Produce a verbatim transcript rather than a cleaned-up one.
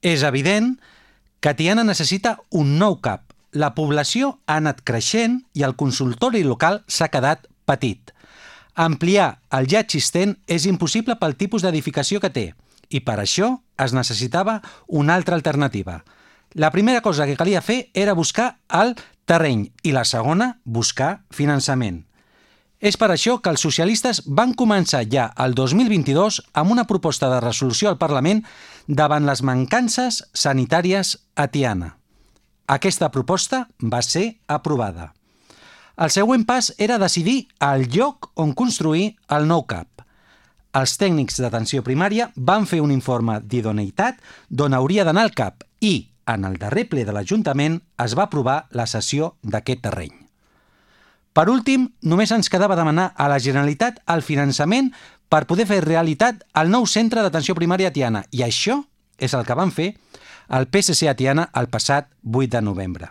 És evident que Tiana necessita un nou cap. La població ha anat creixent i el consultori local s'ha quedat petit. Ampliar el ja existent és impossible pel tipus d'edificació que té i per això es necessitava una altra alternativa. La primera cosa que calia fer era buscar el terreny i la segona, buscar finançament. És per això que els socialistes van començar ja el dos mil vint-i-dos amb una proposta de resolució al Parlament davant les mancances sanitàries a Tiana. Aquesta proposta va ser aprovada. El següent pas era decidir el lloc on construir el nou cap. Els tècnics d'atenció primària van fer un informe d'idoneïtat d'on hauria d'anar el cap i, en el darrer ple de l'Ajuntament, es va aprovar la cessió d'aquest terreny. Per últim, només ens quedava demanar a la Generalitat el finançament per poder fer realitat el nou centre d'atenció primària a Tiana, i això és el que van fer el P S C a Tiana el passat vuit de novembre.